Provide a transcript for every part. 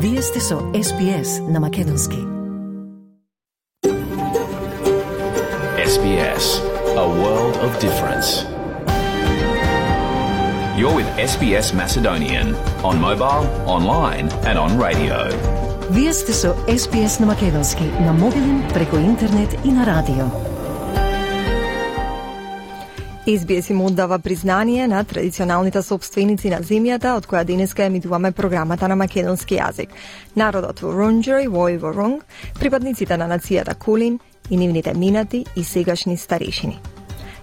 Вие сте со SBS на македонски. SBS, a world of difference. You're with SBS Macedonian on mobile, online and on radio. Вие сте со SBS на македонски на мобилен, преку интернет и на радио. SBS им оддава признание на традиционалните собственици на земјата, од која денеска емитуваме програмата на македонски јазик. Народот Вурундџери во Ворунг, припадниците на нацијата Кулин и нивните минати и сегашни старешини.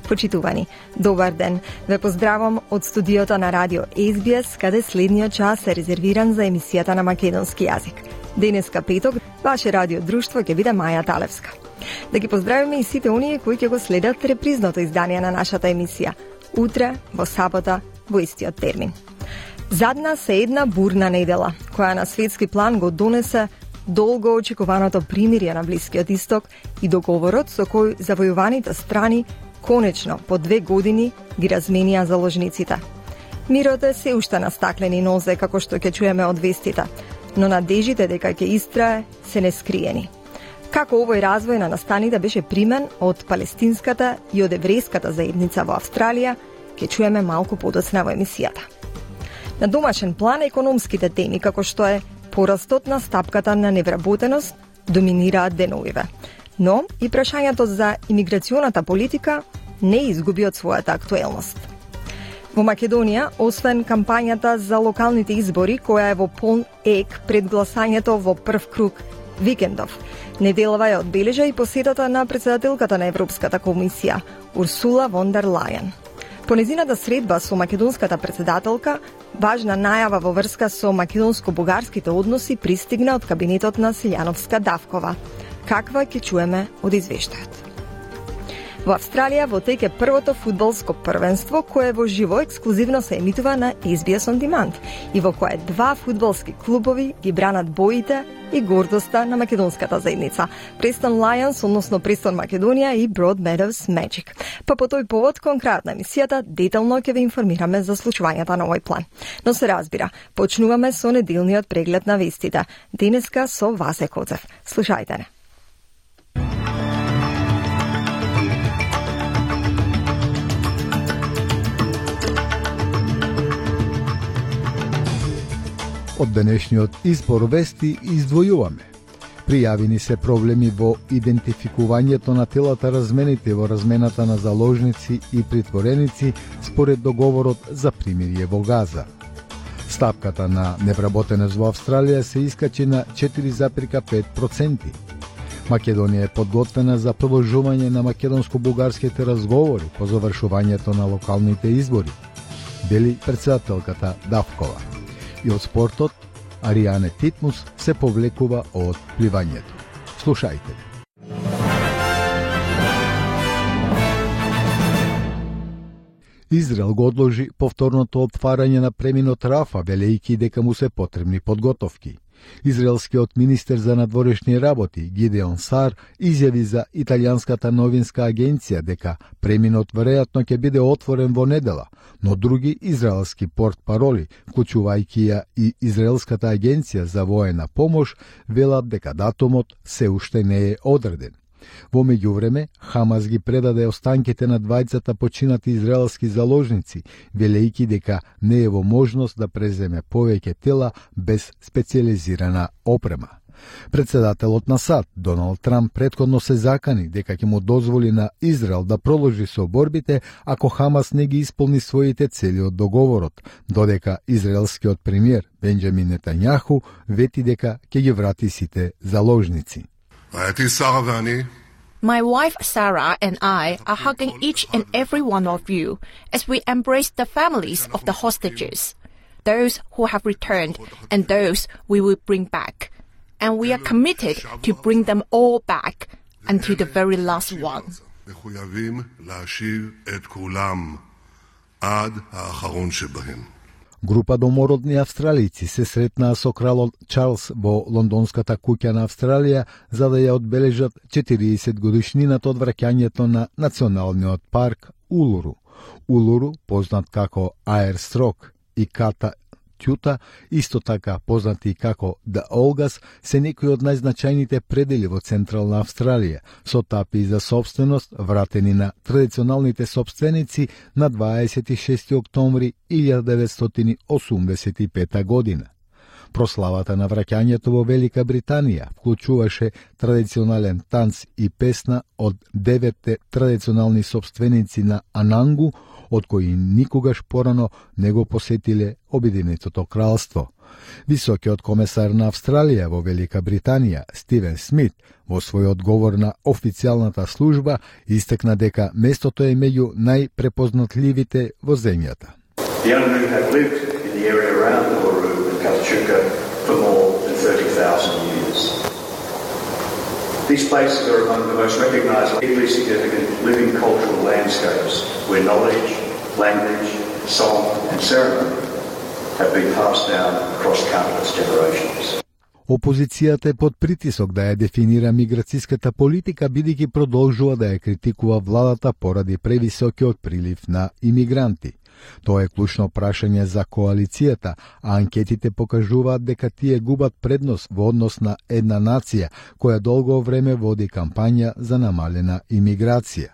Почитувани, добар ден. Ве поздравам од студиото на радио SBS, каде следниот час е резервиран за емисијата на македонски јазик. Денеска петок, ваше радио друштво ќе биде Маја Талевска. Да ги поздравиме и сите оние кои ќе го следат репризното издание на нашата емисија. Утре, во сабота, во истиот термин. Зад нас е една бурна недела, која на светски план го донесе долго очекуваното примирие на Блискиот Исток и договорот со кој завојуваните страни конечно по 2 години ги разменија заложниците. Мирот е се уште на стаклени нозе, како што ќе чуеме од вестите, но надежите дека ќе истрае се нескриени. Како овој развој на настаните беше примен од палестинската и од еврејската заедница во Австралија, ќе чуеме малку подоцна во емисијата. На домашен план економските теми, како што е порастот на стапката на невработеност, доминираат деновиве. Но и прашањето за имиграционата политика не изгуби од својата актуелност. Во Македонија, освен кампањата за локалните избори, која е во полн ек пред гласањето во прв круг викендов, неделава ја одбележа и посетата на председателката на Европската комисија, Урсула фон дер Лајен. По незината средба со македонската председателка, важна најава во врска со македонско-бугарските односи пристигна од кабинетот на Силјановска-Давкова. Каква ќе чуеме од извештајот. Во Австралија во тек е првото фудбалско првенство кое во живо ексклузивно се емитува на SBS On Demand и во кое 2 фудбалски клубови ги бранат боите и гордоста на македонската заедница. Престон Lions, односно Престон Македонија и Broadmeadows Magic. Па по тој повод, конкретна емисијата, детално ќе ве информираме за случувањата на овој план. Но се разбира, почнуваме со неделниот преглед на вестите. Денеска со Васе Коцев. Слушајте не. Од денешниот избор вести издвојуваме. Пријавени се проблеми во идентификувањето на телата размените во размената на заложници и притвореници според договорот за примирие во Газа. Стапката на невработеност во Австралија се искачи на 4,5%. Македонија е подготвена за продолжување на македонско-бугарските разговори по завршувањето на локалните избори, вели председателката Давкова. И од спортот, Аријане Титмус се повлекува од пливањето. Слушајте. Израел го одложи повторното отварање на преминот Рафа, велејќи дека му се потребни подготовки. Израелскиот министер за надворешни работи Гидеон Сар изјави за италијанската новинска агенција дека преминот веројатно ќе биде отворен во недела, но други израелски портпароли, вклучувајќи ја и Израелската агенција за воена помош, велат дека датумот се уште не е одреден. Во меѓувреме, Хамас ги предаде останките на двајцата починати израелски заложници, велејќи дека не е во можност да преземе повеќе тела без специализирана опрема. Председателот на САД, Доналд Трамп, претходно се закани дека ќе му дозволи на Израел да продолжи со борбите ако Хамас не ги исполни своите цели од договорот, додека израелскиот премиер Бенџамин Нетањаху вети дека ќе ги врати сите заложници. My wife Sarah and I are hugging each and every one of you as we embrace the families of the hostages, those who have returned and those we will bring back. And we are committed to bring them all back until the very last one. Група домородни австралици се сретнаа со кралот Чарлс во лондонската куќа на Австралија за да ја одбележат 40 годишнината од враќањето на националниот парк Улуру. Улуру, познат како Аерстрок и Ката Тјута, исто така познати како The Olgas, се некои од најзначајните предели во Централна Австралија, со тапи за собственост вратени на традиционалните собственици на 26. октомври 1985 година. Прославата на враќањето во Велика Британија вклучуваше традиционален танц и песна од 9 традиционални собственици на Анангу, од кои никогаш порано не го посетиле Обединетото кралство. Високиот комесар на Австралија во Велика Британија, Стивен Смит, во свој одговор на официјалната служба, истакна дека местото е меѓу најпрепознатливите во земјата. The Anangu have lived in the area around Uluru and Katachuka for more than 30,000 years. These places are among the most recognised, deeply significant living cultural landscapes where knowledge, language, song and ceremony have been passed down across countless generations. Опозицијата е под притисок да ја дефинира миграцијската политика, бидејќи продолжува да ја критикува владата поради превисокиот прилив на имигранти. Тоа е клучно прашање за коалицијата, а анкетите покажуваат дека тие губат предност во однос на една нација која долго време води кампања за намалена имиграција.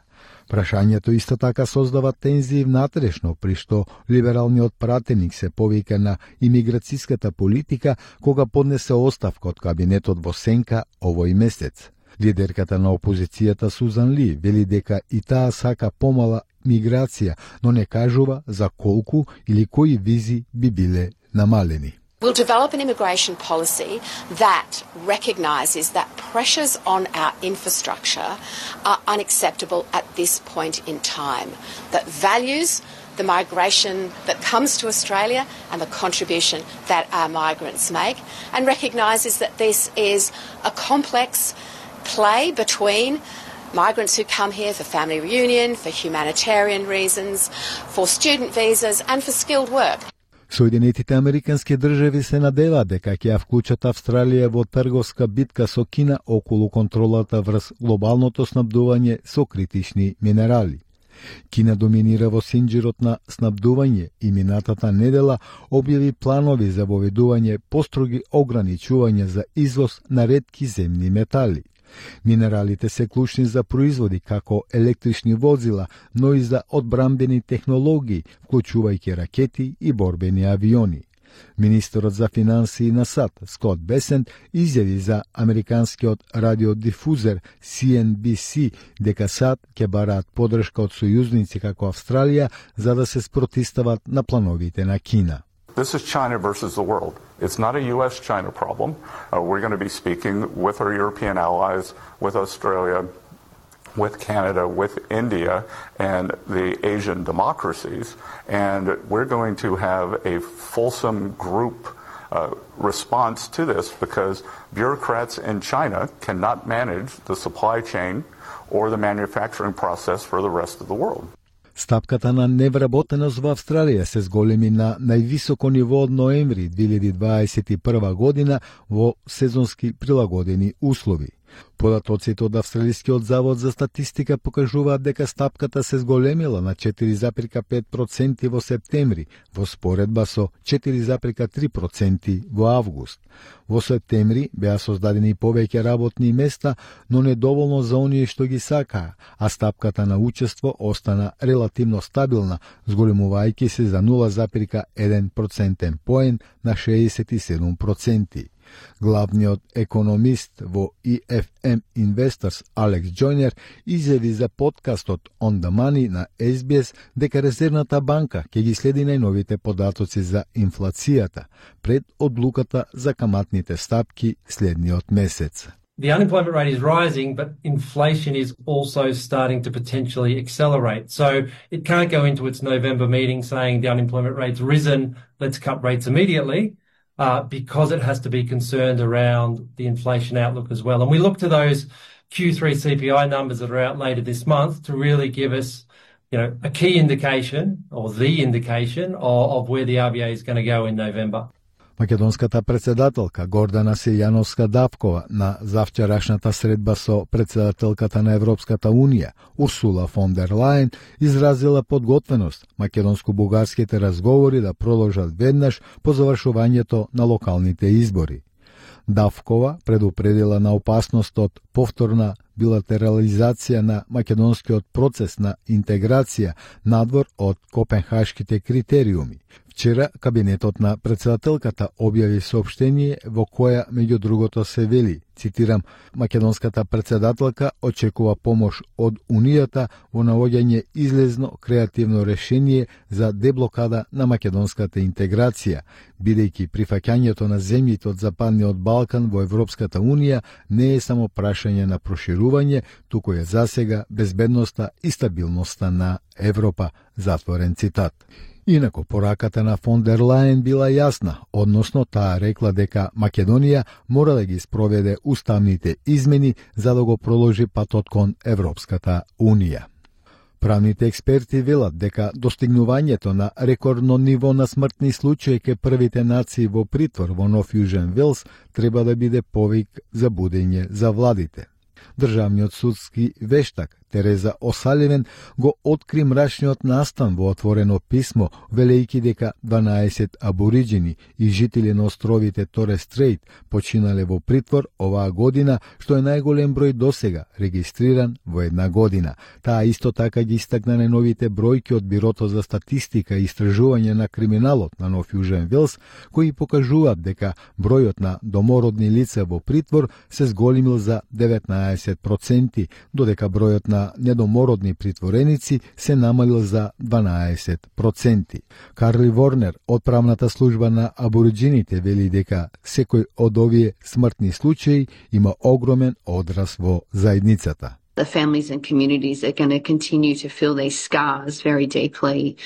Прашањето исто така создава тензии внатрешно, при што либералниот пратеник се повика на имиграцијската политика кога поднесе оставка од кабинетот во сенка овој месец. Лидерката на опозицијата Сузан Ли вели дека и таа сака помала миграција, но не кажува за колку или кои визи би биле намалени. We'll develop an immigration policy that recognises that pressures on our infrastructure are unacceptable at this point in time, that values the migration that comes to Australia and the contribution that our migrants make, and recognises that this is a complex play between migrants who come here for family reunion, for humanitarian reasons, for student visas and for skilled work. Соединетите Американски држави се надеваат дека ќе ја вклучат Австралија во трговска битка со Кина околу контролата врз глобалното снабдување со критични минерали. Кина доминира во синџирот на снабдување и минатата недела објави планови за воведување построги ограничувања за извоз на ретки земни метали. Минералите се клучни за производи како електрични возила, но и за одбрамбени технологии, вклучувајќи ракети и борбени авиони. Министерот за финансии на САД, Скот Бесент, изјави за американскиот радиодифузер CNBC дека САД ќе бараат поддршка од сојузници како Австралија за да се спротивстават на плановите на Кина. This is China versus the world. It's not a U.S.-China problem. We're going to be speaking with our European allies, with Australia, with Canada, with India, and the Asian democracies. And we're going to have a fulsome group response to this because bureaucrats in China cannot manage the supply chain or the manufacturing process for the rest of the world. Стапката на невработеност во Австралија се зголеми на највисоко ниво од ноември 2021 година во сезонски прилагодени услови. Податоците од Австралискиот завод за статистика покажуваат дека стапката се зголемила на 4,5% во септември, во споредба со 4,3% во август. Во септември беа создадени повеќе работни места, но недоволно за оние што ги сакаа, а стапката на учество остана релативно стабилна, зголемувајќи се за 0,1% поен на 67%. Главниот економист во EFM Investors Алекс Джойнер изјави за подкастот On the Money на SBS дека Резервната банка ќе ги следи најновите податоци за инфлацијата пред одлуката за каматните стапки следниот месец. The unemployment rate is rising, but inflation is also starting to potentially accelerate. So it can't go into its November meeting saying the unemployment rate's risen, let's cut rates immediately. Because it has to be concerned around the inflation outlook as well. And we look to those Q3 CPI numbers that are out later this month to really give us, a key indication or the indication of where the RBA is going to go in November. Македонската председателка Гордана Силјановска-Давкова на завчерашната средба со председателката на Европската Унија Урсула фон дер Лајен изразила подготвеност македонско-бугарските разговори да продолжат веднаш по завршувањето на локалните избори. Давкова предупредила на опасност од повторна билатерализација на македонскиот процес на интеграција надвор од копенхашките критериуми. Вчера кабинетот на председателката објави соопштение во која меѓу другото се вели, цитирам, македонската председателка очекува помош од Унијата во наоѓање излезно креативно решение за деблокада на македонската интеграција, бидејќи прифаќањето на земјите од Западниот Балкан во Европската Унија не е само прашање на проширување, туку е засега безбедноста и стабилноста на Европа, затворен цитат. Инако, пораката на фон дер Лајен била јасна, односно таа рекла дека Македонија мора да ги спроведе уставните измени за да го проложи патот кон Европската Унија. Правните експерти велат дека достигнувањето на рекордно ниво на смртни случаи ке првите нации во притвор во Нов Јужен Велс треба да биде повик за будење за владите. Државниот судски вештак Тереза Осаливен го откри мрачниот настан во отворено писмо, велејќи дека 12 абориџини и жители на островите Торе Стрейт починале во притвор оваа година, што е најголем број досега регистриран во една година. Таа исто така ги истакна најновите бројки од Бирото за статистика и истражување на криминалот на Нов Јужен Велс, кои покажуваат дека бројот на домородни лица во притвор се зголемил за 19%, додека бројот на недомородни притвореници се намалил за 12%. Карли Ворнер од правната служба на абориџините вели дека секој од овие смртни случаи има огромен одраз во заедницата. The families and communities are going to continue to feel these scars very deeply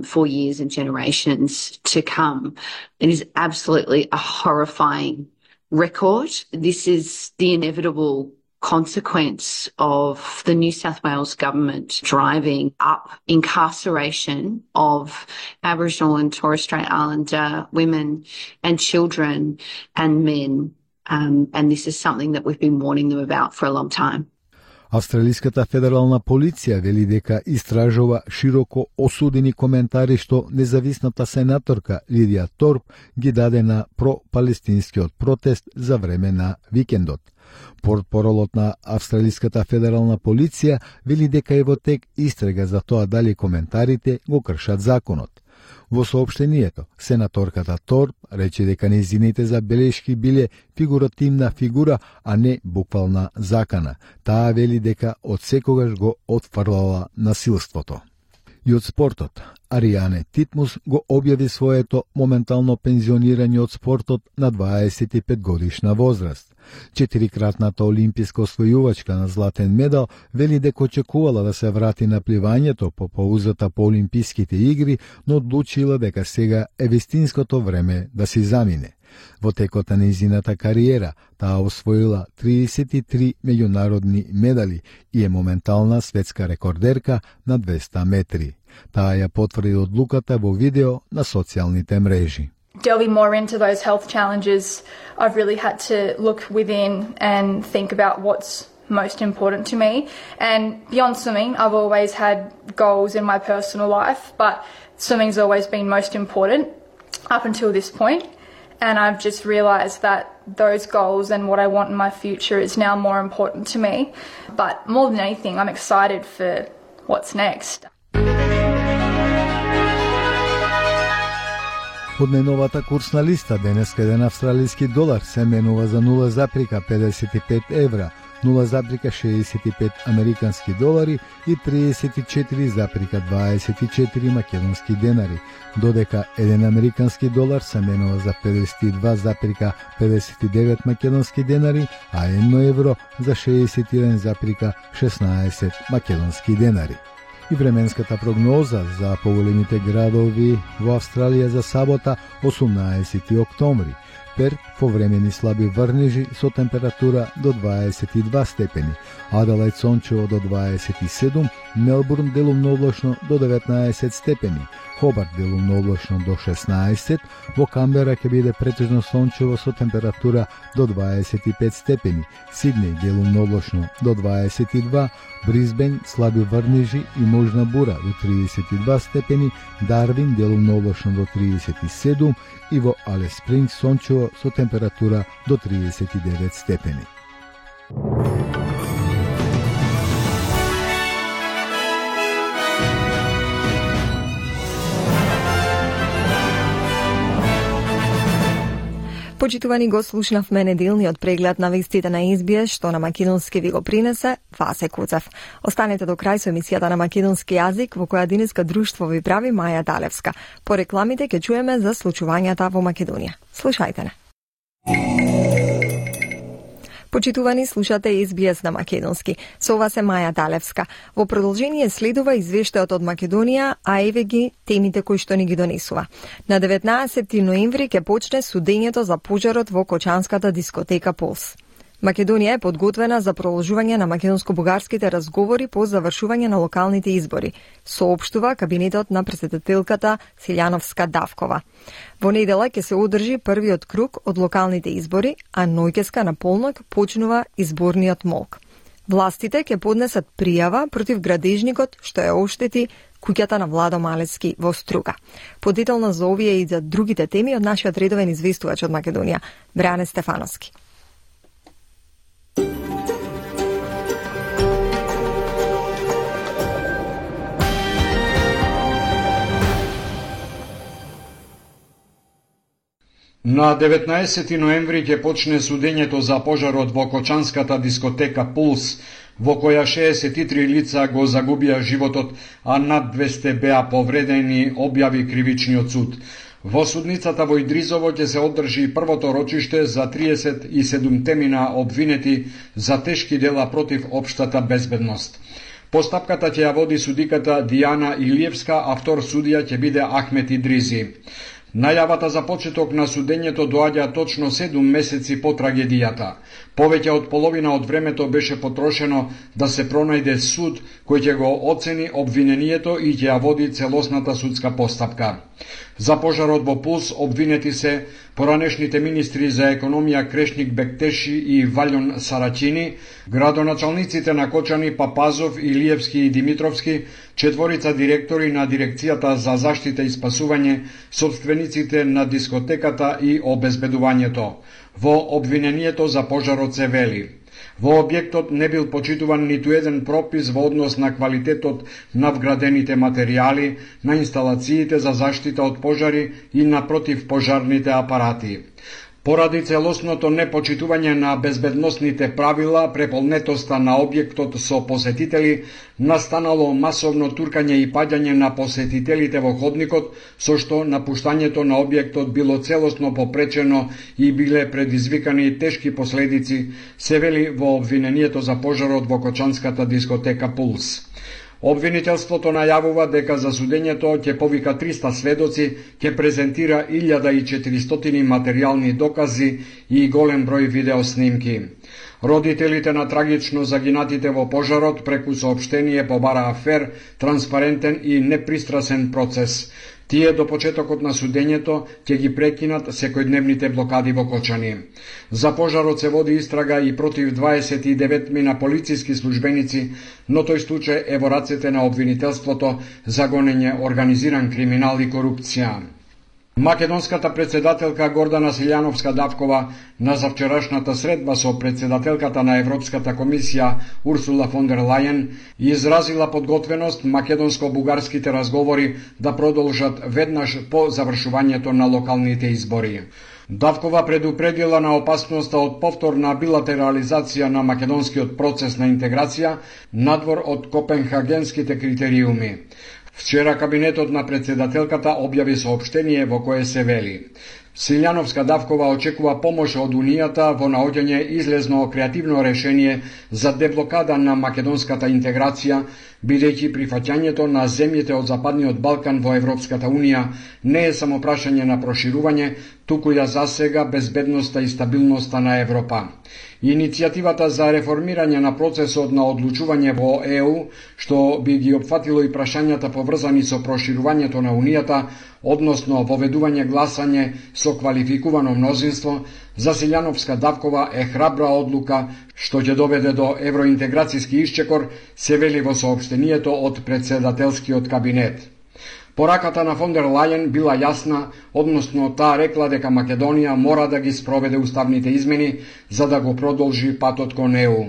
for years and generations to come. It is absolutely a horrifying record. This is the inevitable consequence of the New South Wales government driving up incarceration of Aboriginal and Torres Strait Islander women and children and men. And this is something that we've been warning them about for a long time. Австралиската федерална полиција вели дека истражува широко осудени коментари што независната сенаторка Лидија Торп ги даде на пропалестинскиот протест за време на викендот. Портпаролот на Австралиската федерална полиција вели дека е во тек истрага за тоа дали коментарите го кршат законот. Во соопштението, сенаторката Торп рече дека нејзините забелешки биле фигуративна фигура, а не буквална закана. Таа вели дека од секогаш го отфрлала насилството. И од спортот, Аријане Титмус го објави своето моментално пензионирање од спортот на 25 годишна возраст. 4-кратната олимписка освојувачка на златен медал вели дека очекувала да се врати на пливањето по паузата по олимписките игри, но одлучила дека сега е вистинското време да си замине. Во текот на нејзината кариера, таа освоила 33 меѓународни медали и е моментална светска рекордерка на 200 метри. Таа ја потврди одлуката во видео на социјалните мрежи. Delving more into those health challenges, I've really had to look within and think about what's most important to me. And beyond swimming, I've always had goals in my personal life, but swimming's always been most important up until this point. And I've just realised that those goals and what I want in my future is now more important to me. But more than anything, I'm excited for what's next. Од најновата курсна листа денеска еден австралиски долар се менува за 0,55 евра, 0,65 американски долари и 34,24 македонски денари, додека еден американски долар се менува за 52,59 македонски денари, а 1 евро за 61,16 македонски денари. И временската прогноза за поголемите градови во Австралија за сабота 18 октомври. Перт повремени слаби врнежи со температура до 22 степени, Аделаид сончево до 27, Мелбурн делумно облачно до 19 степени, Хобарт делумно облачно до 16, во Камбера ќе биде претежно сончево со температура до 25 степени, Сиднеј делумно облачно до 22, Брисбен слаби врнежи и можна бура до 32 степени, Дарвин делумно облачно до 37 и во Алис Спрингс сончево со температура до 39 степени. Почитувани, го слушнавме неделниот преглед на вестите на SBS, што на македонски ви го принесе Васе Куцев. Останете до крај со емисијата на македонски јазик, во која денеска друштво ви прави Маја Далевска. По рекламите ќе чуеме за случувањата во Македонија. Слушајте не. Почитувани, слушате SBS на македонски. Со вас е Маја Далевска. Во продолжение следува извештајот од Македонија, а еве ги темите кои што ни ги донесува. На 19 ноември ќе почне судењето за пожарот во Кочанската дискотека Пулс. Македонија е подготвена за продолжување на македонско-бугарските разговори по завршување на локалните избори, соопштува кабинетот на претседателката Силјановска Давкова. Во недела ќе се одржи првиот круг од локалните избори, а ноќеска на полнок почнува изборниот молк. Властите ќе поднесат пријава против градежникот што ја оштети куќата на Владо Малецки во Струга. Подетелно за овие и за другите теми од нашиот редовен известувач од Македонија, Бреане Стефановски. На 19 ноември ќе почне судењето за пожарот во Кочанската дискотека Пулс, во која 63 лица го загубија животот, а над 200 беа повредени, објави кривичниот суд. Во судницата во Идризово ќе се одржи првото рочиште за 37 темина обвинети за тешки дела против општата безбедност. Постапката ќе ја води судиката Дијана Илиевска, а втор судија ќе биде Ахмет Идризи. Најавата за почеток на судењето доаѓа точно 7 месеци по трагедијата. Повеќе од половина од времето беше потрошено да се пронајде суд кој ќе го оцени обвинението и ќе ја води целосната судска постапка. За пожарот во Пулс обвинети се поранешните министри за економија Крешник Бектеши и Валјон Сарачини, градоначалниците на Кочани Папазов, Илиевски и Димитровски, четворица директори на Дирекцијата за заштита и спасување, собствениците на дискотеката и обезбедувањето. Во обвинението за пожарот се вели: во објектот не бил почитуван ниту еден пропис во однос на квалитетот на вградените материјали, на инсталациите за заштита од пожари и на противпожарните апарати. Поради целосното непочитување на безбедносните правила, преполнетоста на објектот со посетители, настанало масовно туркање и паѓање на посетителите во ходникот, со што напуштањето на објектот било целосно попречено и биле предизвикани тешки последици, се вели во обвинението за пожарот во Кочанската дискотека Пулс. Обвинителството најавува дека за судењето ќе повика 300 сведоци, ќе презентира 1400 материјални докази и голем број видеоснимки. Родителите на трагично загинатите во пожарот преку соопштение побараа фер, транспарентен и непристрасен процес. Тие до почетокот на судењето ќе ги прекинат секојдневните блокади во Кочани. За пожарот се води истрага и против 29 мина полициски службеници, но тој случај е во рацете на обвинителството за гонење организиран криминал и корупција. Македонската председателка Гордана Силјановска Давкова на завчерашната средба со председателката на Европската комисија Урсула фон дер Лајен изразила подготвеност македонско-бугарските разговори да продолжат веднаш по завршувањето на локалните избори. Давкова предупредила на опасноста од повторна билатерализација на македонскиот процес на интеграција надвор од копенхагенските критериуми. Вчера кабинетот на председателката објави соопштение во кое се вели: Силјановска Давкова очекува помош од Унијата во наоѓање излезно креативно решение за деблокада на македонската интеграција, бидејќи прифаќањето на земјите од Западниот Балкан во Европската Унија не е само прашање на проширување, туку ја засега безбедноста и стабилноста на Европа. Иницијативата за реформирање на процесот на одлучување во ЕУ, што би ги опфатило и прашањата поврзани со проширувањето на Унијата, односно воведување гласање со квалификувано мнозинство, за Силјановска Давкова е храбра одлука што ќе доведе до евроинтеграцијски исчекор, се вели во соопштението од председателскиот кабинет. Пораката на фон дер Лајен била јасна, односно таа рекла дека Македонија мора да ги спроведе уставните измени за да го продолжи патот кон ЕУ.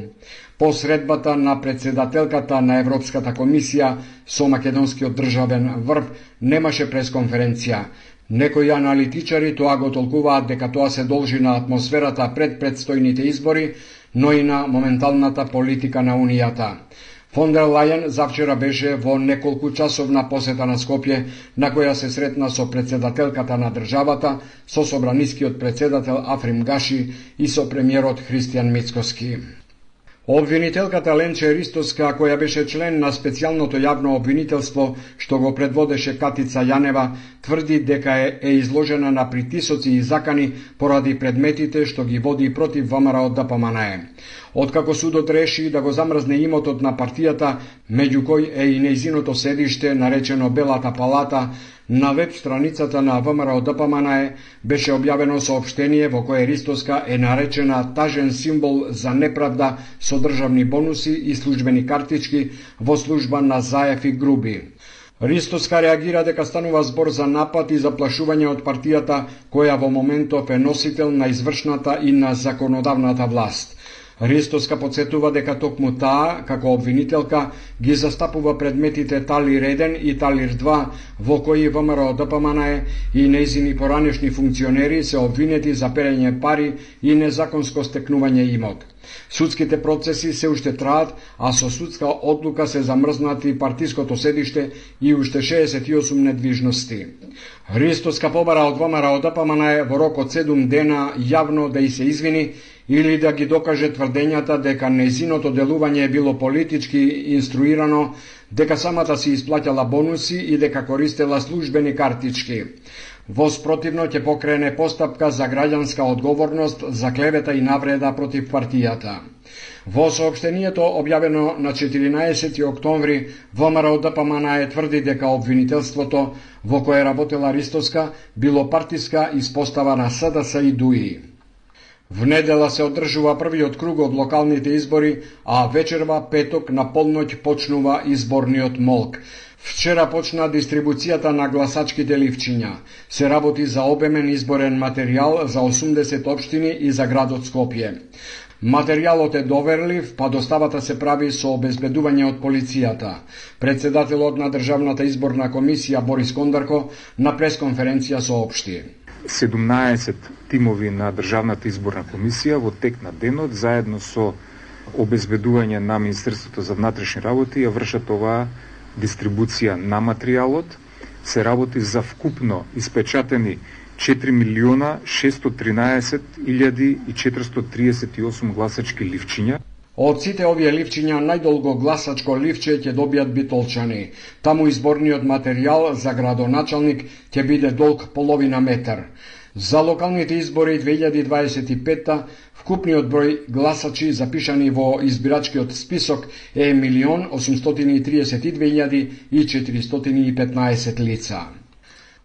По средбата на председателката на Европската комисија со македонскиот државен врб немаше пресконференција. Некои аналитичари тоа го толкуваат дека тоа се должи на атмосферата пред предстојните избори, но и на моменталната политика на Унијата. Фон дер Лајен завчера беше во неколку часовна посета на Скопје, на која се сретна со председателката на државата, со собранискиот председател Африм Гаши и со премиерот Христијан Мицкоски. Обвинителката Ленче Ристоска, која беше член на специјалното јавно обвинителство што го предводеше Катица Јанева, тврди дека е изложена на притисоци и закани поради предметите што ги води против ВМРО ДПМНЕ. Откако судот реши да го замрзне имотот на партијата, меѓу кој е и нејзиното седиште, наречено Белата палата, на веб страницата на ВМРО ДПМНЕ беше објавено соопштение во кое Ристоска е наречена тажен символ за неправда со државни бонуси и службени картички во служба на Заев и Груби. Ристоска реагира дека станува збор за напад и заплашување од партијата, која во моментов е носител на извршната и на законодавната власт. Ристоска подсетува дека токму таа, како обвинителка, ги застапува предметите Талир 1 и Талир 2, во кои ВМРО ДПМНЕ и нејзини поранешни функционери се обвинети за перење пари и незаконско стекнување имот. Судските процеси се уште траат, а со судска одлука се замрзнати партиското седиште и уште 68 недвижности. Ристоска побара од ВМРО ДПМНЕ во рок од 7 дена јавно да и се извини или да ги докаже тврдењата дека нејзиното делување е било политички инструирано, дека самата си исплаќала бонуси и дека користела службени картички. Во спротивно ќе покрене постапка за граѓанска одговорност за клевета и навреда против партијата. Во соопштението објавено на 14 октомври, ВМРО ДПМНЕ тврди дека обвинителството во кое работела Ристоска било партиска испостава на СДС и ДУИ. В недела се одржува првиот круг од локалните избори, а вечерва петок на полноќ почнува изборниот молк. Вчера почна дистрибуцијата на гласачките ливчиња. Се работи за обемен изборен материјал за 80 општини и за градот Скопје. Материјалот е доверлив, па доставата се прави со обезбедување од полицијата. Председателот на Државната изборна комисија Борис Кондарко на пресконференција соопшти. 17 тимови на Државната изборна комисија во тек на денот, заедно со обезбедување на Министерството за внатрешни работи, ја вршат оваа дистрибуција на материјалот. Се работи за вкупно испечатени 4.613.438 гласачки ливчиња. Од сите овие ливчиња најдолго гласачко ливче ќе добијат битолчани. Таму изборниот материјал за градоначалник ќе биде долг половина метар. За локалните избори 2025 вкупниот број гласачи запишани во избирачкиот список е 1.832.415 лица.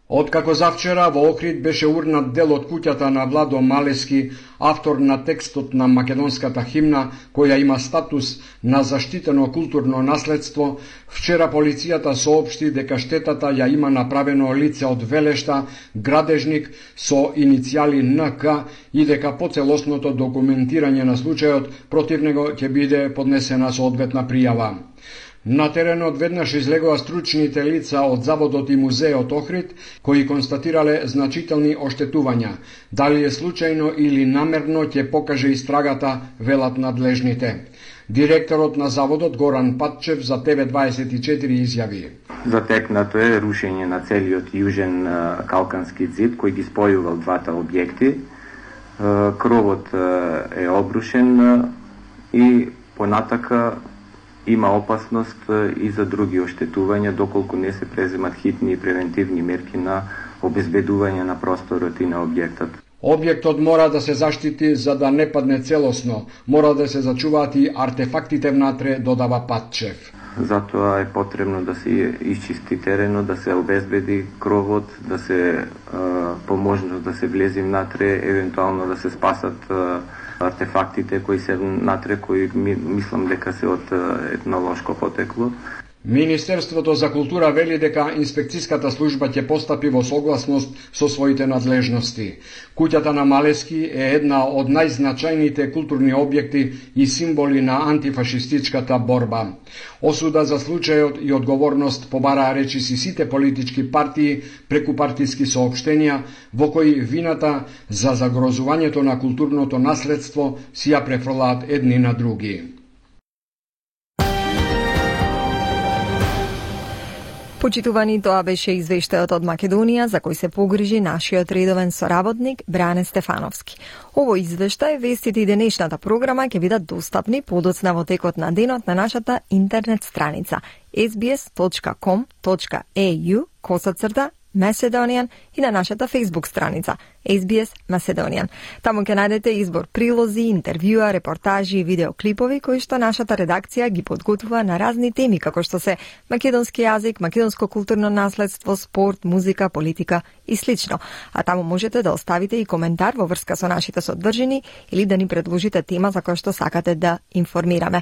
Откако завчера во Охрид беше урнат дел од куќата на Владо Малески, автор на текстот на македонската химна, која има статус на заштитено културно наследство, вчера полицијата соопшти дека штетата ја има направено лице од Велешта, градежник со иницијали НК и дека по целосното документирање на случајот против него ќе биде поднесена соодветна пријава. На теренот веднаш излегоа стручните лица од Заводот и музеот Охрид, кои констатирале значителни оштетувања. Дали е случајно или намерно ќе покаже истрагата, велат надлежните. Директорот на заводот Горан Патчев за ТВ24 изјави: Затекнато е рушење на целиот јужен калкански зид кој ги спојувал двата објекти. Кровот е обрушен и понатака има опасност и за други оштетувања доколку не се преземат хитни и превентивни мерки на обезбедување на просторот и на објектот. Објектот мора да се заштити за да не падне целосно. Мора да се зачуваат и артефактите внатре, додава Патчев. Затоа е потребно да се исчисти теренот, да се обезбеди кровот, да се по можност да се влези внатре, евентуално да се спасат артефактите кои се внатре, кои мислам дека се од етнолошко потекло. Министерството за култура вели дека инспекцијската служба ќе постапи во согласност со своите надлежности. Куќата на Малески е една од најзначајните културни објекти и символи на антифашистичката борба. Осуда за случајот и одговорност побараа речиси сите политички партии преку партиски соопштенија, во кои вината за загрозувањето на културното наследство си ја префрлаат едни на други. Почитувани, тоа беше извештајот од Македонија за кој се погрижи нашиот редовен соработник Бране Стефановски. Овој извештај, вестите и денешната програма ќе бидат достапни подоцна во текот на денот на нашата интернет страница sbs.com.au/Macedonian и на нашата Facebook страница SBS Macedonian. Таму ќе најдете избор прилози, интервјуа, репортажи и видеоклипови кои што нашата редакција ги подготвува на разни теми како што се македонски јазик, македонско културно наследство, спорт, музика, политика и слично. А таму можете да оставите и коментар во врска со нашите содржини или да ни предложите тема за која што сакате да информираме.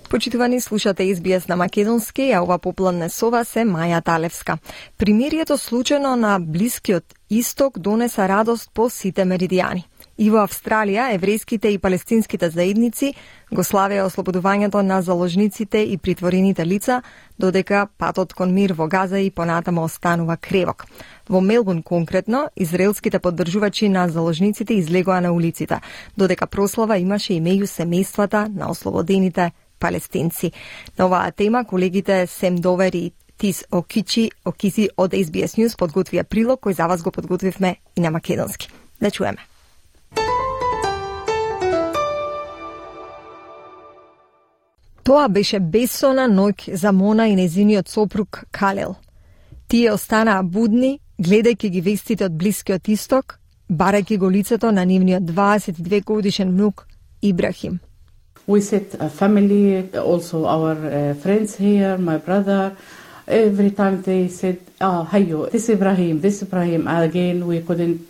Почитувани, слушате SBS на македонски, а ова попладне со вас е Маја Талевска. Примирието случајно на Блискиот Исток донеса радост по сите меридијани. И во Австралија, еврејските и палестинските заедници го славеа ослободувањето на заложниците и притворените лица, додека патот кон мир во Газа и понатамо останува кревок. Во Мелбурн конкретно, израелските поддржувачи на заложниците излегоа на улиците, додека прослава имаше и меѓу семејствата на ослободените палестинци. На оваа тема колегите Сем Довер и Тис Окиси од SBS News подготвија прилог кој за вас го подготвивме и на македонски. Да чуеме. Тоа беше бесона ноќ за Мона и незиниот сопруг Калел. Тие останаа будни, гледајќи ги вестите од Блискиот Исток, барајќи го лицето на нивниот 22 годишен внук Ибрахим. We set a family, also our friends here, my brother. Every time they said, Hayo, this Ibrahim. Again, we couldn't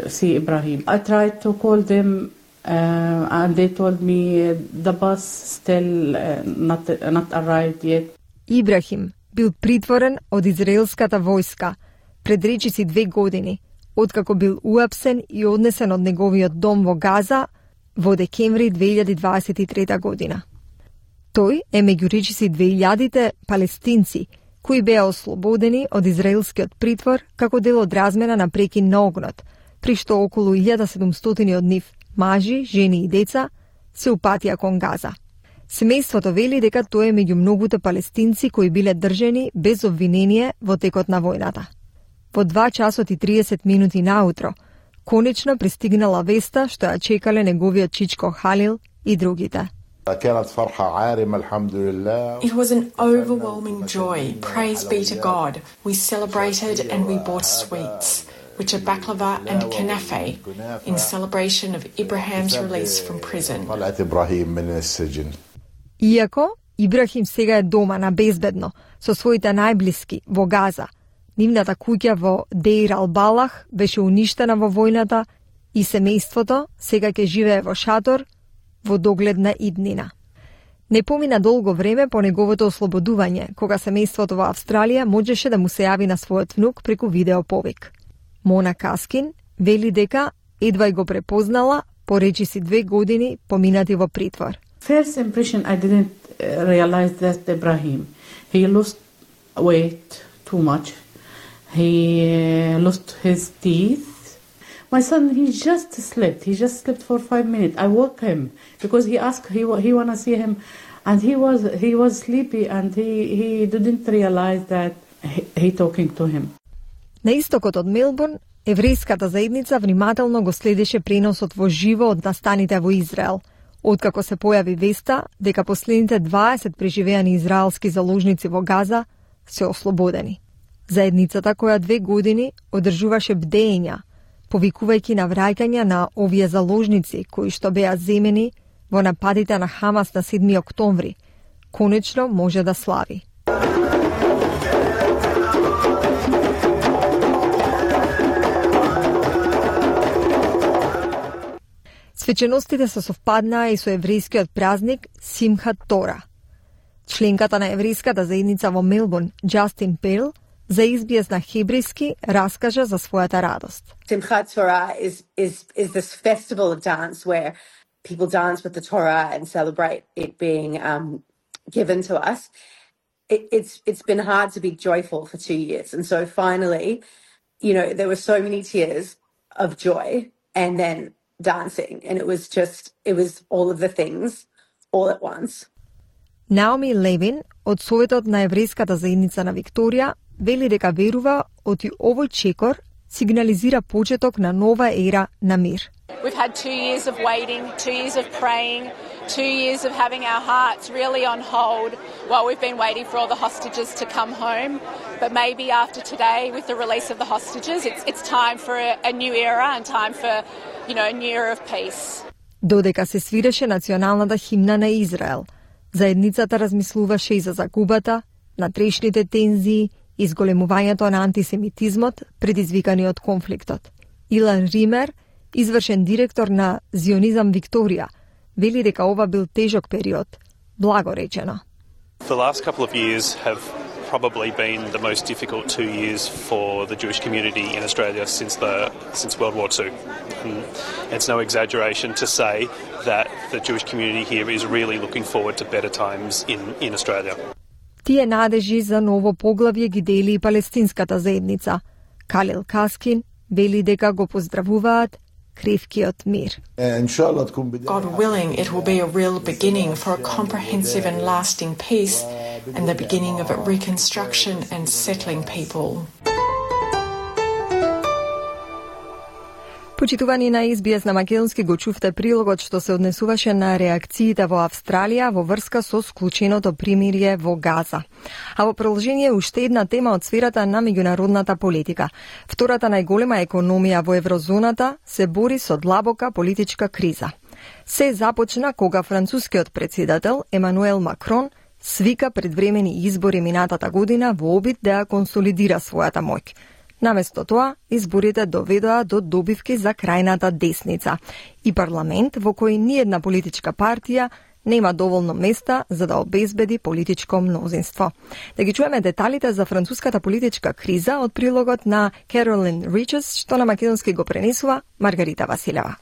see Ibrahim. I tried to call them and they told me the bus still not arrived yet. Ибрахим бил притворен од израелската војска пред речиси 2 години, откако бил уапсен и однесен од неговиот дом во Газа во декември 2023 година. Тој е меѓу речиси 2000-те палестинци кои беа ослободени од израелскиот притвор како дел од размена на прекин на огнот, при што околу 1700 од нив, мажи, жени и деца, се упатија кон Газа. Семејството вели дека тој е меѓу многуте палестинци кои биле држани без обвинение во текот на војната. Во 2 часот и 30 минути наутро, конечно пристигнала веста што ја чекале неговиот чичко Халил и другите. It was an overwhelming joy. Praise be to God. We celebrated and we bought sweets, which are baklava and kanafe, in celebration of Ibrahim's release from prison. Иако Ибрахим сега е дома на безбедно со своите најблиски во Газа, нивната куќа во Деир ал-Балах беше уништена во војната и семејството сега ќе живее во шатор во догледна иднина. Не помина долго време по неговото ослободување, кога семејството во Австралија можеше да му се јави на својот внук преку видеоповик. Мона Каскин вели дека едва и го препознала по речиси 2 години поминати во притвор. First impression, I didn't realize that Ibrahim. He lost weight too much. He lost his teeth. My son, he just slept. He just slept for 5 minutes. I woke him because he asked, he wanna see him, and he was sleepy, and he didn't realize that he talking to him. На истокот од Мелбурн, еврејската заедница внимателно го следеше преносот во живо од настаните во Израел. Откако се појави веста дека последните 20 преживеани израелски заложници во Газа се ослободени. Заедницата која 2 години одржуваше бдења, повикувајќи на враќање на овие заложници кои што беа земени во нападите на Хамас на 7 октомври, конечно може да слави. Свеченостите се совпаднаа и со еврејскиот празник Симхат Тора. Членката на еврејската заедница во Мелбурн, Джастин Пейл, за SBS на хебрејски раскажа за својата радост. Simchat Torah is this festival of dance where people dance with the Torah and celebrate it being given to us. It's been hard to be joyful for 2 years, and so finally, there were so many tears of joy, and then dancing, and it was all of the things all at once. Наоми Левин од Советот на еврејската заедница на Викторија вели дека верува оти овој чекор сигнализира почеток на нова ера на мир. We've had 2 years of waiting, 2 years of praying, 2 years of having our hearts really on hold while we've been waiting for all the hostages to come home. But maybe after today, with the release of the hostages, it's time for a new era and time for, a new era of peace. Додека се свиреше националната химна на Израел, заедницата размислуваше и за загубата, натрешните тензии и зголемувањето на антисемитизмот предизвикани од конфликтот. Илан Ример, извршен директор на Зионизам Викторија, вели дека ова бил тежок период, благо речено. The last couple of years have probably been the most difficult 2 years for the Jewish community in Australia since World War II. And it's no exaggeration to say that the Jewish community here is really looking forward to better times in Australia. Тие надежи за ново поглавје ги дели и палестинската заедница. Калил Каскин вели дека го поздравуваат кревкиот мир. God willing, it will be a real beginning for a comprehensive and lasting peace and the beginning of a reconstruction and settling people. Почитувани на SBS на македонски го чувте прилогот што се однесуваше на реакциите во Австралија во врска со склученото примирие во Газа. А во продолжение уште една тема од сферата на меѓународната политика. Втората најголема економија во еврозоната се бори со длабока политичка криза. Се започна кога францускиот председател Емануел Макрон свика предвремени избори минатата година во обид да ја консолидира својата моќ. Наместо тоа, изборите доведоа до добивки за крајната десница и парламент во кој ниедна политичка партија нема доволно места за да обезбеди политичко мнозинство. Да ги чуеме деталите за француската политичка криза од прилогот на Carolyn Riches, што на македонски го пренесува Маргарита Василева.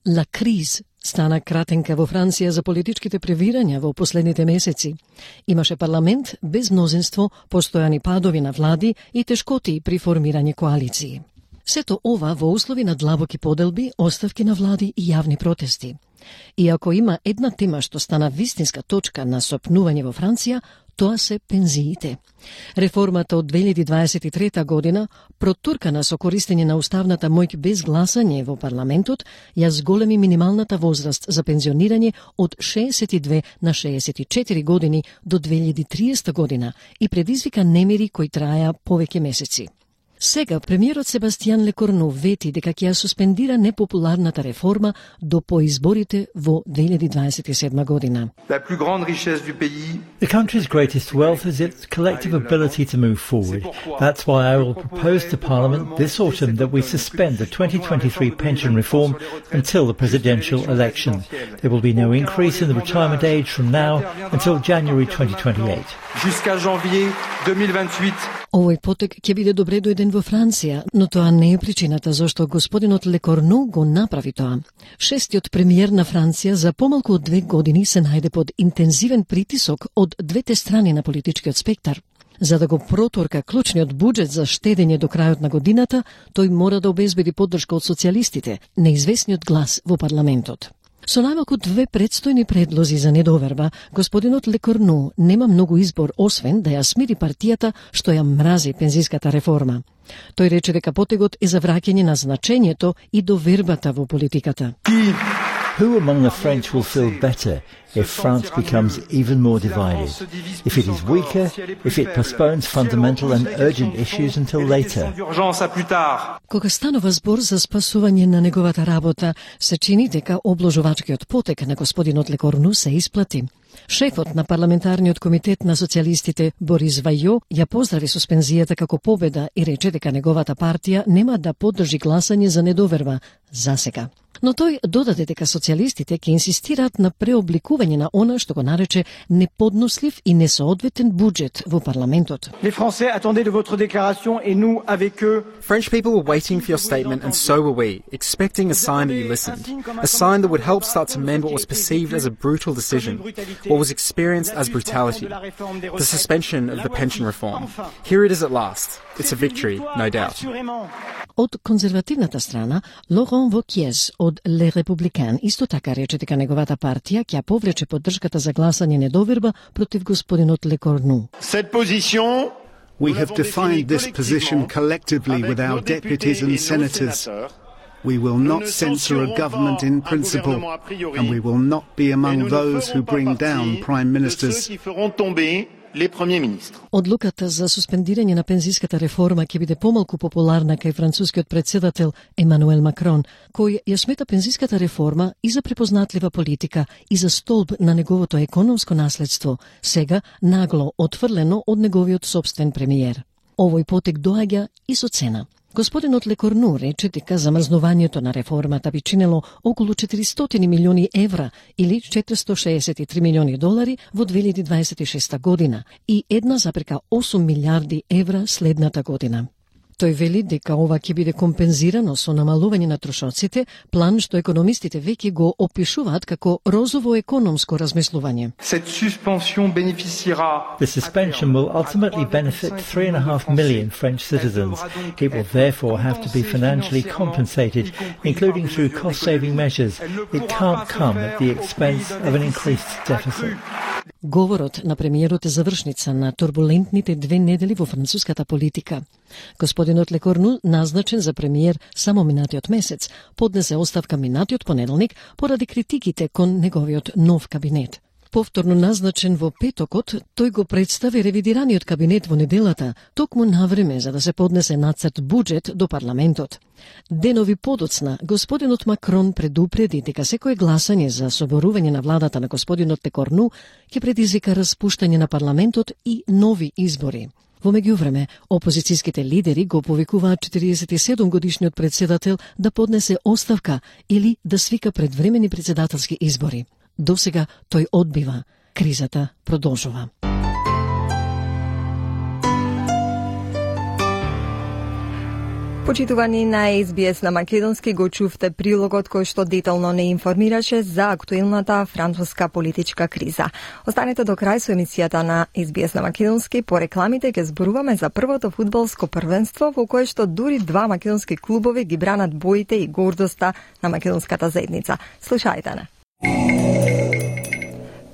La crise стана кратенка во Франција за политичките превирања во последните месеци. Имаше парламент без мнозинство, постојани падови на влади и тешкоти при формирање коалиции. Сето ова во услови на длабоки поделби, оставки на влади и јавни протести. И ако има една тема што стана вистинска точка на сопнување во Франција, тоа се пензиите. Реформата од 2023 година, протуркана со користење на уставната моќ без гласање во парламентот, ја зголеми минималната возраст за пензионирање од 62 на 64 години до 2030 година и предизвика немири кои траја повеќе месеци. Сега, премиерот Себастијан Лекорну вети дека ќе ја суспендира непопуларната реформа до поизборите во 2027 година. The country's greatest wealth is its collective ability to move forward. That's why I will propose to Parliament this autumn that we suspend the 2023 pension reform until the presidential election. There will be no increase in the retirement age from now until January 2028. Jusqu'à janvier 2028. Овој потек ќе биде добре дојден во Франција, но тоа не е причината зашто господинот Лекорну го направи тоа. Шестиот премиер на Франција за помалку од 2 години се најде под интензивен притисок од двете страни на политичкиот спектар. За да го протурка клучниот буџет за штедење до крајот на годината, тој мора да обезбеди поддршка од социјалистите, неизвестниот глас во парламентот. Со најмалку 2 предстојни предлози за недоверба, господинот Лекорну нема многу избор освен да ја смири партијата што ја мрази пензиската реформа. Тој рече дека потегот е за враќање на значењето и довербата во политиката. Who among the French will feel better if France becomes even more divided? If it is weaker, if it postpones fundamental and urgent issues until later? Кога станува збор за спасување на неговата работа, се чини дека обложувачкиот потек на господинот Лекорну се исплати. Шефот на парламентарниот комитет на социјалистите Борис Вајо ја поздрави суспензијата како победа и рече дека неговата партија нема да поддржи гласање за недоверба за сега. Но тој додаде дека социјалистите ќе инсистираат на преобликување на она што го нарече неподнослив и несоодветен буџет во парламентот. French people were waiting for your statement and so were we, expecting a sign that you listened, a sign that would help start to mend what was perceived as a brutal decision, what was experienced as brutality, the suspension of the pension reform. Here it is at last. It's a victory, no doubt. Од конзервативната страна, Лоран Вокиез од Ле Републикан исто така рече дека неговата партија ќе повлече поддршката за гласање недоверба против господинот Лекорну. We have defined this position collectively with our deputies and senators. We will not censor a government in principle, and we will not be among those who bring down prime ministers. Одлуката за суспендирање на пензиската реформа ќе биде помалку популарна кај францускиот председател Емануел Макрон, кој ја смета пензиската реформа и за препознатлива политика и за столб на неговото економско наследство, сега нагло отфрлено од неговиот собствен премиер. Овој потек доаѓа и со цена. Господинот Лекорну рече дека замрзнувањето на реформата би чинело околу 400 милиони евра или 463 милиони долари во 2026 година и 1,8 милиарди евра следната година. Тој вели дека ова ќе биде компензирано со намалување на трошоците, план што економистите веќе го опишуваат како розово економско размислување. The suspension will ultimately benefit 3.5 million French citizens. It will therefore have to be financially compensated, including through cost-saving measures. It can't come at the expense of an increased deficit. Говорот на премиерот е завршница на турбулентните 2 недели во француската политика. Господинот Лекорну, назначен за премиер само минатиот месец, поднесе оставка минатиот понеделник поради критиките кон неговиот нов кабинет. Повторно назначен во петокот, тој го представи ревидираниот кабинет во неделата, токму навреме за да се поднесе нацрт буџет до парламентот. Денови подоцна, господинот Макрон предупреди дека секое гласање за соборување на владата на господинот Лекорну ќе предизвика распуштање на парламентот и нови избори. Во меѓувреме, опозицијските лидери го повикуваат 47 годишниот председател да поднесе оставка или да свика предвремени председателски избори. Досега тој одбива. Кризата продолжува. Почитувани на SBS на македонски го чувте прилогот кој што детално не информираше за актуелната француска политичка криза. Останете до крај со емисијата на SBS на македонски. По рекламите ќе зборуваме за првото фудбалско првенство во кое што дури 2 македонски клубови ги бранат боите и гордоста на македонската заедница. Слушајте не.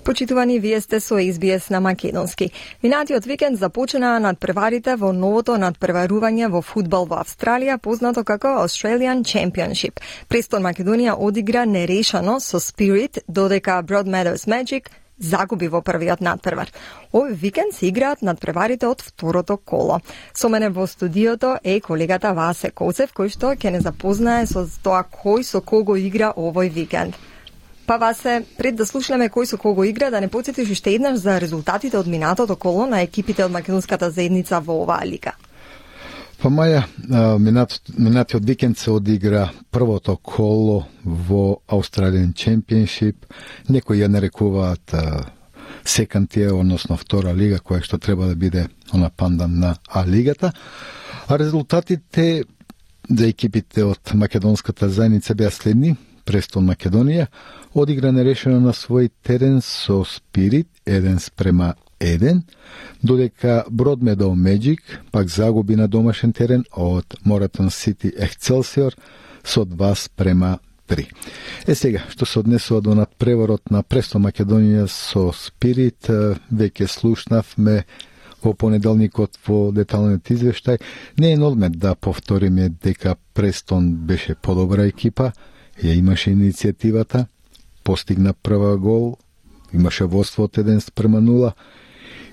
Почитувани, вие сте со SBS на македонски. Минатиот викенд започнаа надпреварите во новото надпреварување во фудбал во Австралија, познато како Australian Championship. Престон Македонија одигра нерешано со Spirit, додека Broadmeadows Magic загуби во првиот надпревар. Овој викенд се играат надпреварите од второто коло. Со мене во студиото е колегата Васе Коцев, кој што ќе не запознае со тоа кој со кого игра овој викенд. Па Васе, пред да слушнеме кој со кого игра, да не потсетиш уште еднаш за резултатите од минатото коло на екипите од македонската заедница во оваа лига. Па Маја, минатиот викенд се одигра првото коло во Australian Championship. Некои ја нарекуваат second tier, односно втора лига, која што треба да биде она пандан на А-лигата. А резултатите за екипите од македонската заедница беа следни. Престон Македонија одигра нерешено на свој терен со Спирит 1:1, додека Broadmeadows Magic пак загуби на домашен терен од Moreton City Excelsior со 2:3. 3. Сега, што се однесува до надпреварот на Престон Македонија со Спирит, веќе слушнавме во понеделникот во деталниот извештај. Не е на одмет да повториме дека Престон беше подобра екипа, ја имаше иницијативата, постигна прва гол, имаше водство од 1-0,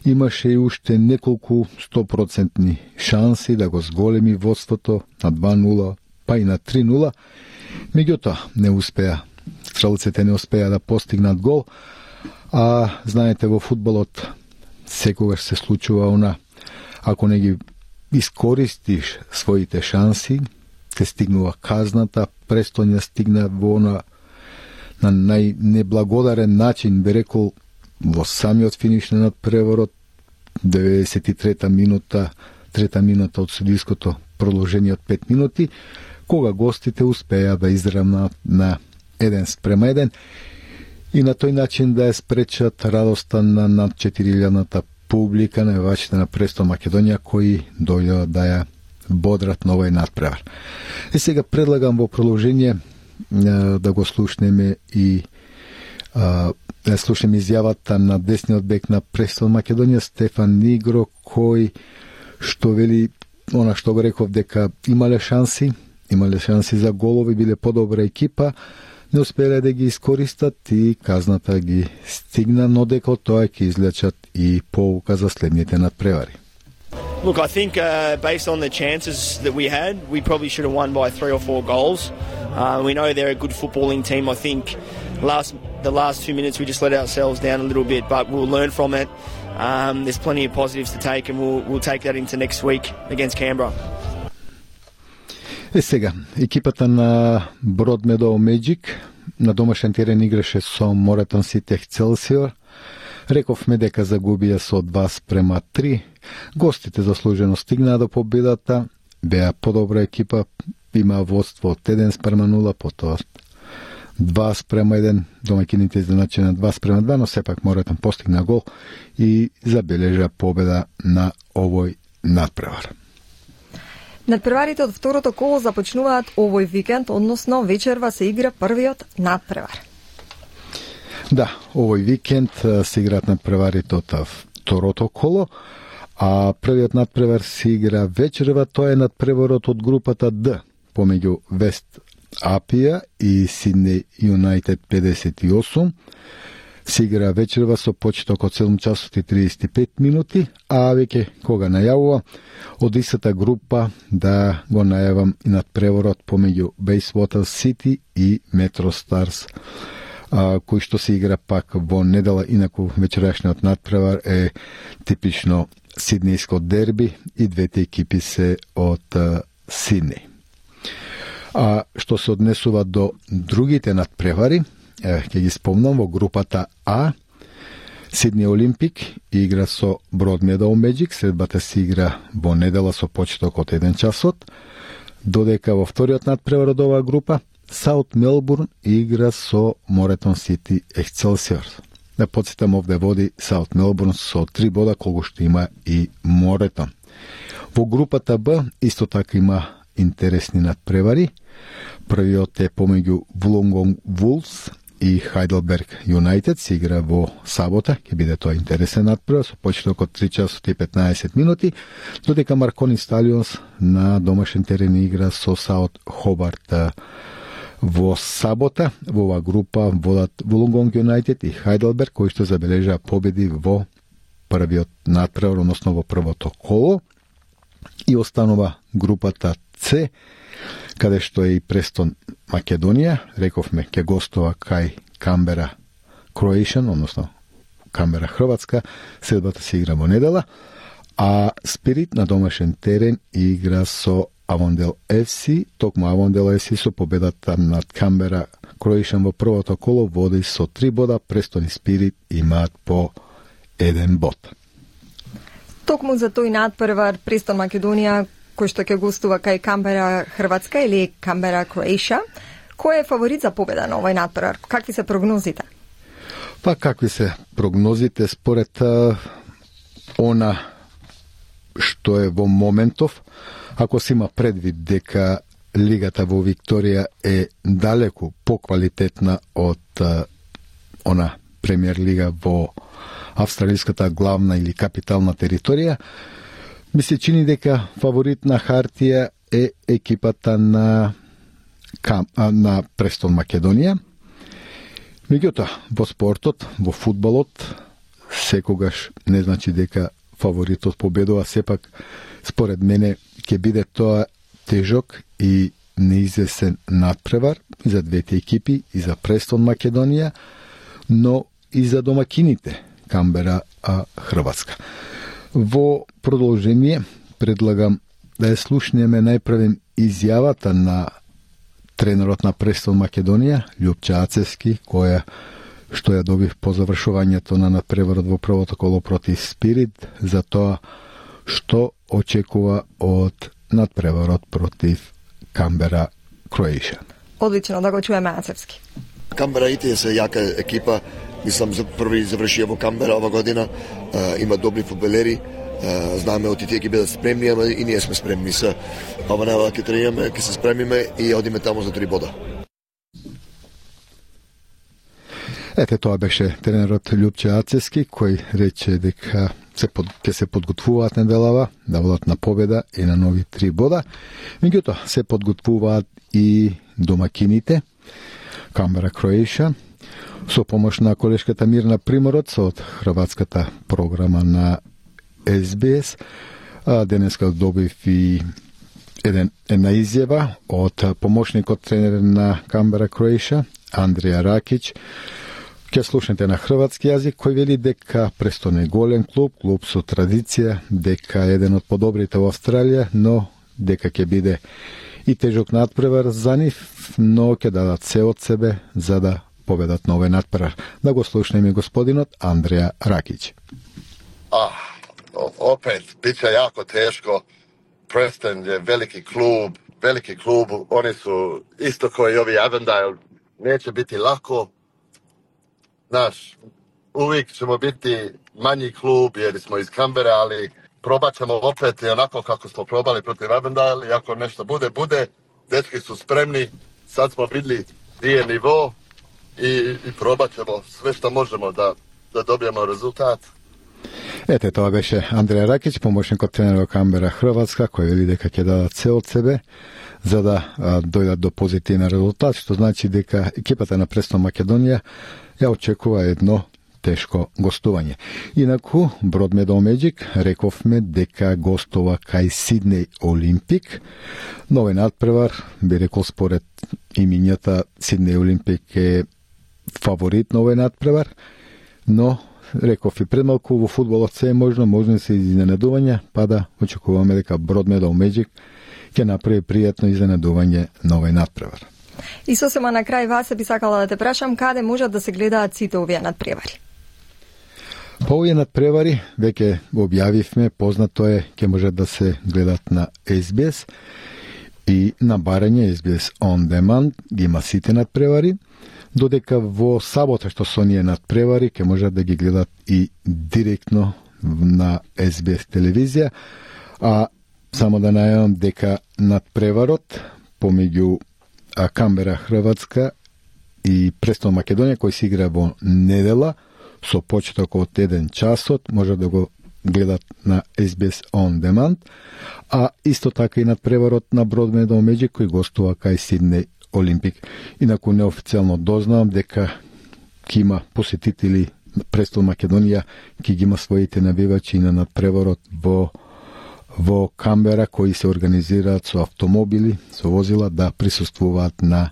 имаше и уште неколку 100% шанси да го зголеми водството на 2-0, па и на 3-0. Меѓутоа, не успеа. Стрелците не успеа да постигнат гол, а знаете во фудбалот секогаш се случува она, ако не ги искористиш своите шанси, те стигнува казната. Престон ја стигна во на најнеблагодарен начин, би рекол, во самиот финиш на надпреварот, 93-та минута, трета минута од судиското продолжение од 5 минути, кога гостите успеа да изравнат на 1-1 и на тој начин да ја спречат радоста на над 4000-та публика на навивачите на Престон Македонија, кои дојдоа да ја бодрат на овој надпревар. И сега предлагам во продолжение да го слушнеме и да слушнеме изјавата на десниот бек на Престон Македонија Стефан Нигро, кој што вели она што го реков дека имале шанси за голови, биле подобра екипа, не успеле да ги искористат и казната ги стигна, но дека од тоа ќе излечат и поука за следните надпревари. Look, I think based on the chances that we had, we probably should have won by 3 or 4 goals. We know they're a good footballing team. I think the last 2 minutes we just let ourselves down a little bit, but we'll learn from it. There's plenty of positives to take, and we'll take that into next week against Canberra. Сега, екипата на Broadmeadow Magic на домашен терен играше со Moreton City Excelsior. Рековме дека загубија со 2-3. Гостите заслужено стигнаа до победата, беа подобра екипа, има водство од 1-0, потоа 2-1, домаќините изначена 2-2, но сепак Moreton постигна гол и забележа победа на овој надпревар. Надпреварите од второто коло започнуваат овој викенд, односно вечерва се игра првиот надпревар. Да, овој викенд се играат надпреварите од второто коло, а првиот надпревар се игра вечерва, тоа е надпреварот од групата Д, помеѓу Вест Апија и Сиднеј Юнайтед 58. Се игра вечерва со почеток од 7 часот и 35 минути, а веќе кога најавува од истата група да го најавам и надпреварот помеѓу Bayswater City и Metro Stars, кој што се игра пак во недела. Инаку вечерашниот надпревар е типично сиднејско дерби и двете екипи се од Сиднеј. А што се однесува до другите надпревари, ќе ги спомнам, во групата А Сиднеј Олимпик игра со Broadmeadow Magic, средбата се игра во недела со почеток од 1 часот, додека во вториот надпревар од оваа група South Melbourne игра со Moreton City Excelsior. Да подсетам, овде води South Melbourne со 3 бода, колку што има и Moreton. Во групата Б исто така има интересни надпревари. Првиот е помеѓу Wollongong Wolves и Heidelberg United, се игра во сабота, ќе биде тоа интересен надпревар со почеток од 3 часот и 15 минути, додека Marconi Stallions на домашен терен игра со South Hobart во сабота. Во оваа група водат Wollongong United и Heidelberg, кои што забележаа победи во првиот надпревар, односно во првото коло, и останува групата С, каде што е и Престон Македонија. Рековме, ќе гостува кај Canberra Croatian, односно Canberra Хрватска. Следбата се игра во недела, а Спирит на домашен терен игра со Avondale FC. Токму Avondale FC со победата над Canberra Croatian во првото коло води со 3 бода. Престон и Спирит имаат по 1 бод. Токму за тој надпревар Престон Македонија, кој што ќе гостува кај Canberra Хрватска или Canberra Croatia, кој е фаворит за победа на овој надпревар? Какви се прогнозите? Па какви се прогнозите според она што е во моментов, ако се има предвид дека лигата во Викторија е далеку поквалитетна од она премиер лига во австралиската главна или капитална територија, ми се чини дека фаворит на хартија е екипата на Престон Македонија. Меѓутоа, во спортот, во фудбалот, секогаш не значи дека фаворитот победува, сепак според мене ќе биде тоа тежок и неизвестен надпревар и за двете екипи, и за Престон Македонија, но и за домакините Камбера Хрватска. Во продолжение предлагам да ја слушнеме најпрвен изјавата на тренерот на Престон Македонија, Љупче Ацевски, што ја добив по завршувањето на надпреварот во првото коло против Спирит, за тоа што очекува од надпреварот против Камбера Кроејша. Одлично, да го чуеме Ацевски. Камбера ите се јака екипа, мислам за први завршија во Камбера ова година, има добри фудбалери, знаеме од тие ќе бидат спремни, ама и ние сме спремни се. Ова нема ќе тренираме, ќе се спремиме и одиме таму за 3 бода. Ете, тоа беше тренерот Љупче Ацевски, кој рече дека ќе се подготвуваат неделава да водат на победа и на нови 3 бода. Меѓутоа, се подготвуваат и домакините Камбера Кроејша, со помош на колешката Мирна Приморец од хрватската програма на СБС. Денеска добив и една изјава од помошникот тренер на Камбера Кроејша, Андреја Ракич. Ќе слушнете на хрватски јазик, кој вели дека Престон е голем клуб со традиција, дека е еден од подобрите во Австралија, но дека ќе биде и тежок надпревар за нив, но ќе дадат се од себе за да победат на овој надпревар. Да го слушнеме господинот Андреја Ракич. Опет, биće jako teško. Preston je veliki klub, oni su isto kao i ovi Avondale, neće biti lako. Znaš, uvijek ćemo biti manji klub jer smo iz Kambere, ali probat ćemo opet onako kako smo probali protiv Avondale i ako nešto bude, dečki su spremni, sad smo vidjeli gdje je nivo i probat ćemo sve što možemo da dobijemo rezultat. Ете, тоа беше Андреја Ракич, помошникот тренер во Камбера Хрватска, кој вели дека ќе дадат се од себе за да дојдат до позитивен резултат, што значи дека екипата на Престон Македонија ја очекува едно тешко гостување. Инаку, Broadmeadow Magic рековме дека гостува кај Сиднеј Олимпик. Нови надпревар, би рекол според имињата, Сиднеј Олимпик е фаворит на овој надпревар, но реков и предмалку, во фудбалот се е можно се изненадување, па да очекуваме дека Broadmeadow Magic ќе направи пријатно изненадување на овој надпревар. И сосема на крај вас би сакала да те прашам каде можат да се гледаат сите овие надпревари? По овие надпревари веќе објавивме, познато е, ќе можат да се гледат на SBS и на барање SBS On Demand, ги има сите надпревари, додека во сабота што се оние надпревари ќе можат да ги гледат и директно на SBS телевизија, а само да најавам дека надпреварот помеѓу Камбера Хрватска и Престон Македонија, кој се игра во недела со почеток од 1 часот, може да го гледат на SBS On Demand, а исто така и надпреварот на Broadmeadow Magic кој гостува кај Сиднеј Олимпик. Инаку неофицијално дознавам дека ќе има посетители Престон Македонија, ќе ги има своите навивачи на надпреварот во Камбера кои се организираат со автомобили, со возила да присуствуваат на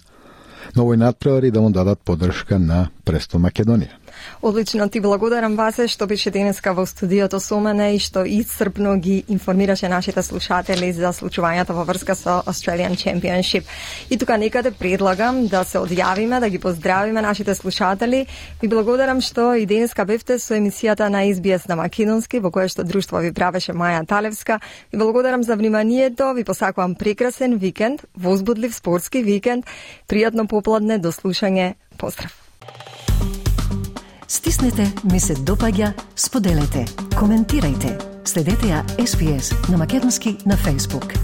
овој надпревар и да му дадат поддршка на Престон Македонија. Одлично, ти благодарам, Васе, што беше денеска во студиото со мене и што исцрпно ги информираше нашите слушатели за случувањата во врска со Australian Championship. И тука некаде предлагам да се одјавиме, да ги поздравиме нашите слушатели. Ви благодарам што и денеска бевте со емисијата на SBS на македонски, во која што друштво ви правеше Маја Талевска. Ви благодарам за вниманието, ви посакувам прекрасен викенд, возбудлив спортски викенд, пријатно попладне, до слушање, поздрав! Стиснете, ми се допаѓа, споделете, коментирајте. Следете ја SBS на македонски на Facebook.